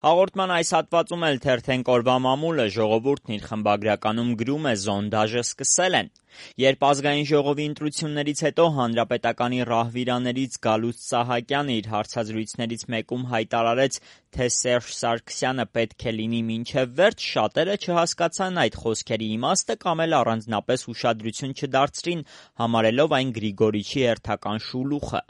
Հաղորդման այս հատվածում էլ թերթենք օրվա մամուլը, ժողովուրդն իր խմբագրականում գրում է «Զոնդաժը սկսել են»։ Երբ ազգային ժողովի ընտրություններից հետո հանրապետականի ռահվիրաներից Գալուստ Սահակյանը իր հարցազրույցներից մեկում հայտարարեց, թե Սերժ Սարգսյանը պետք է լինի մինչև վերջ, շատերը չհասկացան այդ խոսքերի իմաստը կամ էլ առանձնապես ուշադրություն չդարձրին, համարելով այն Գրիգորիչի հերթական շուլուխը։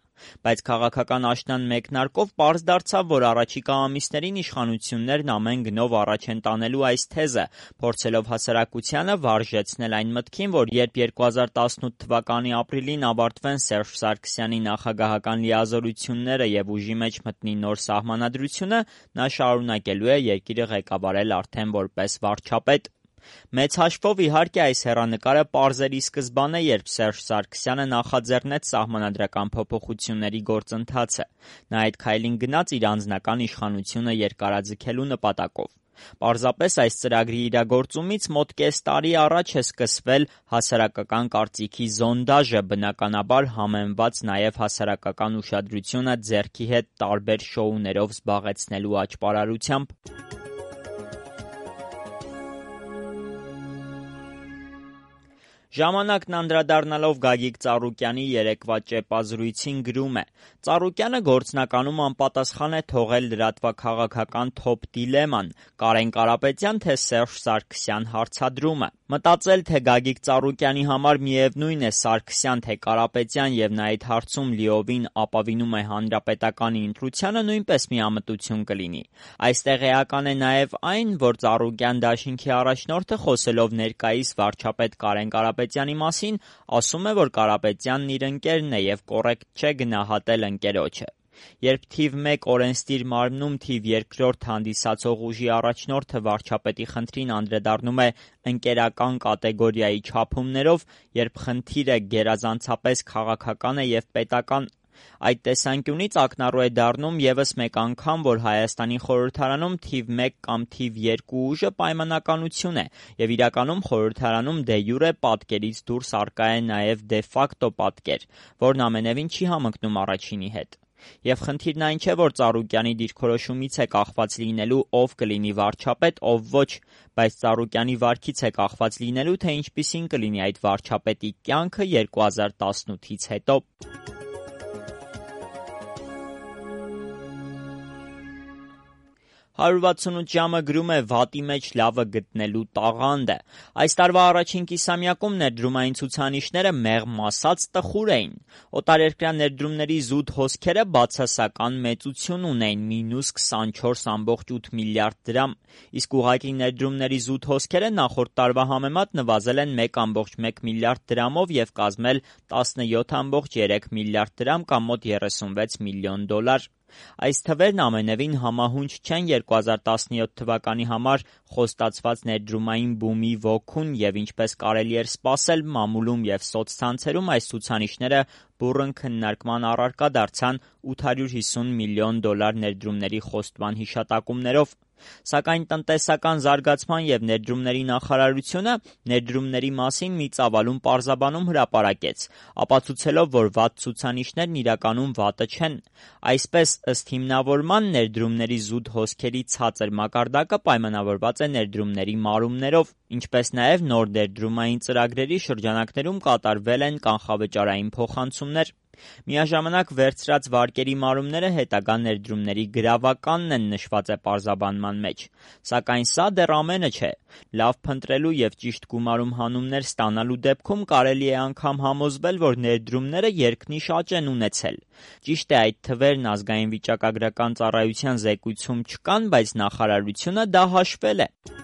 Բայց քաղաքական աշնան մեկնարկով պարզ դարձավ, որ առաջիկա ամիսներին իշխանություններն ամեն գնով առաջ են տանելու այս թեզը, փորձելով հասարակությանը վարժեցնել այն մտքին, որ երբ 2018 թվականի ապրիլին ավարտվեն Սերժ Սարգսյանի նախագահական լիազորությունները և ուժի մեջ մտնի նոր սահմանադրությունը, նա շարունակելու է երկիրը ղեկավարել արդեն որպես վարչապետ։ Մեծ հաշվով, իհարկե, այս հեռանկարը պարզերի սկզբան է, երբ Սերժ Սարգսյանը նախաձեռնեց սահմանադրական փոփոխությունների գործընթացը։ Նա այդ քայլին գնաց իր անձնական իշխանությունը երկարաձգելու նպատակով։ Պարզապես այս ծրագրի իրագործումից մոտ կես տարի առաջ է սկսվել հասարակական կարծիքի զոնդաժը, բնականաբար համեմված նաև հասարակական ուշադրությունը ձեռքի հետ տարբեր շոուներով զբաղեցնելու աճպարարությամբ։ Ժամանակն անդրադառնալով Գագիկ Ծառուկյանի երեկվա ճեպազրույցին գրում է. Ծառուկյանը գործնականում անպատասխան է թողել լրատվաքաղաքական թոփ դիլեման՝ Կարեն Կարապետյան թե Սերժ Սարգսյան հարցադրումը։ Մտածել, թե Գագիկ Ծառուկյանի համար միևնույն է Սարգսյան թե Կարապետյան և նա այդ հարցում լիովին ապավինում է հանրապետականի ընտրությանը, նույնպես միամտություն կլինի։ Այստեղ էական է նաև այն, որ Ծառուկյան դաշինքի առաջնորդը, խոսելով ներկայիս վարչապետ Կարեն Կարապետյանի մասին, ասում է, որ Կարապետյանն իր ընկերն է և կոռեկտ չէ գնահատել ընկերոջը։ Երբ թիվ 1 օրենսդիր մարմնում թիվ 2 հանդիսացող ուժի առաջնորդը վարչապետի խնդրին անդրադառնում է ընկերական կատեգորիայի չափումներով, երբ խնդիրը գերազանցապես քաղաքական է և պետական, այդ տեսանկյունից ակնառու է դառնում ևս մեկ անգամ, որ Հայաստանի խորհրդարանում թիվ 1 կամ թիվ 2 ուժը պայմանականություն է, և իրականում խորհրդարանում դե յուրե պատկերից դուրս առկա է նաև դե ֆակտո պատկեր, որն ամենևին չի համընկնում առաջինի հետ։ Եվ խնդիրն այն չէ, որ Ծառուկյանի դիրքորոշումից է կախված լինելու ով կլինի վարչապետ, ով ոչ, բայց Ծառուկյանի վարքից է կախված լինելու, թե ինչպիսին կլինի այդ վարչապետի կյանքը 2018-ից հետո։ 168 ժամը գրում է վատի մեջ լավը գտնելու տաղանդը։ Այս տարվա առաջին կիսամյակում ներդրումային ցուցանիշները մեղմ ասած տխուր էին։ Օտարերկրյա ներդրումների զուտ հոսքերը բացասական մեծություն ունեին՝ -24.8 միլիարդ դրամ, իսկ ուղղակի ներդրումների զուտ հոսքերը նախորդ տարվա համեմատ նվազել են 1.1 միլիարդ դրամով և կազմել 17.3 միլիարդ դրամ կամ մոտ 36 միլիոն դոլար։ Այս թվերն ամենևին համահունչ չեն 2017 թվականի համար խոստացված ներդրումային բումի ոգուն և ինչպես կարելի էր սպասել, մամուլում և սոցցանցերում այս ցուցանիշները բուռն քննարկման առարկա դարձան 850 միլիոն դոլար ներդրումների խոստման հիշատակումներով։ Սակայն տնտեսական զարգացման և ներդրումների նախարարությունը ներդրումների մասին մի ծավալուն պարզաբանում հրապարակեց, ապացուցելով, որ վատ ցուցանիշներն իրականում վատը չեն։ Այսպես, ըստ հիմնավորման, ներդրումների զուտ հոսքերի ցածր մակարդակը պայմանավորված է ներդրումների մարումներով, ինչպես նաև նոր ներդրումային ծրագրերի շրջանակներում կատարվել են կանխավճարային փոխանցումներ։ Միաժամանակ վերցրած վարկերի մարումները հետագա ներդրումների գրավականն են, նշված է պարզաբանման մեջ։ Սակայն սա դեռ ամենը չէ։ Լավ փնտրելու և ճիշտ գումարում հանումներ ստանալու դեպքում կարելի է անգամ համոզվել, որ ներդրումները երկնիշ աճ են ունեցել։ Ճիշտ է, այդ թվերն ազգային վիճակագրական ծառայության զեկույցում չկան, բայց նախարարությունը դա հաշվել է։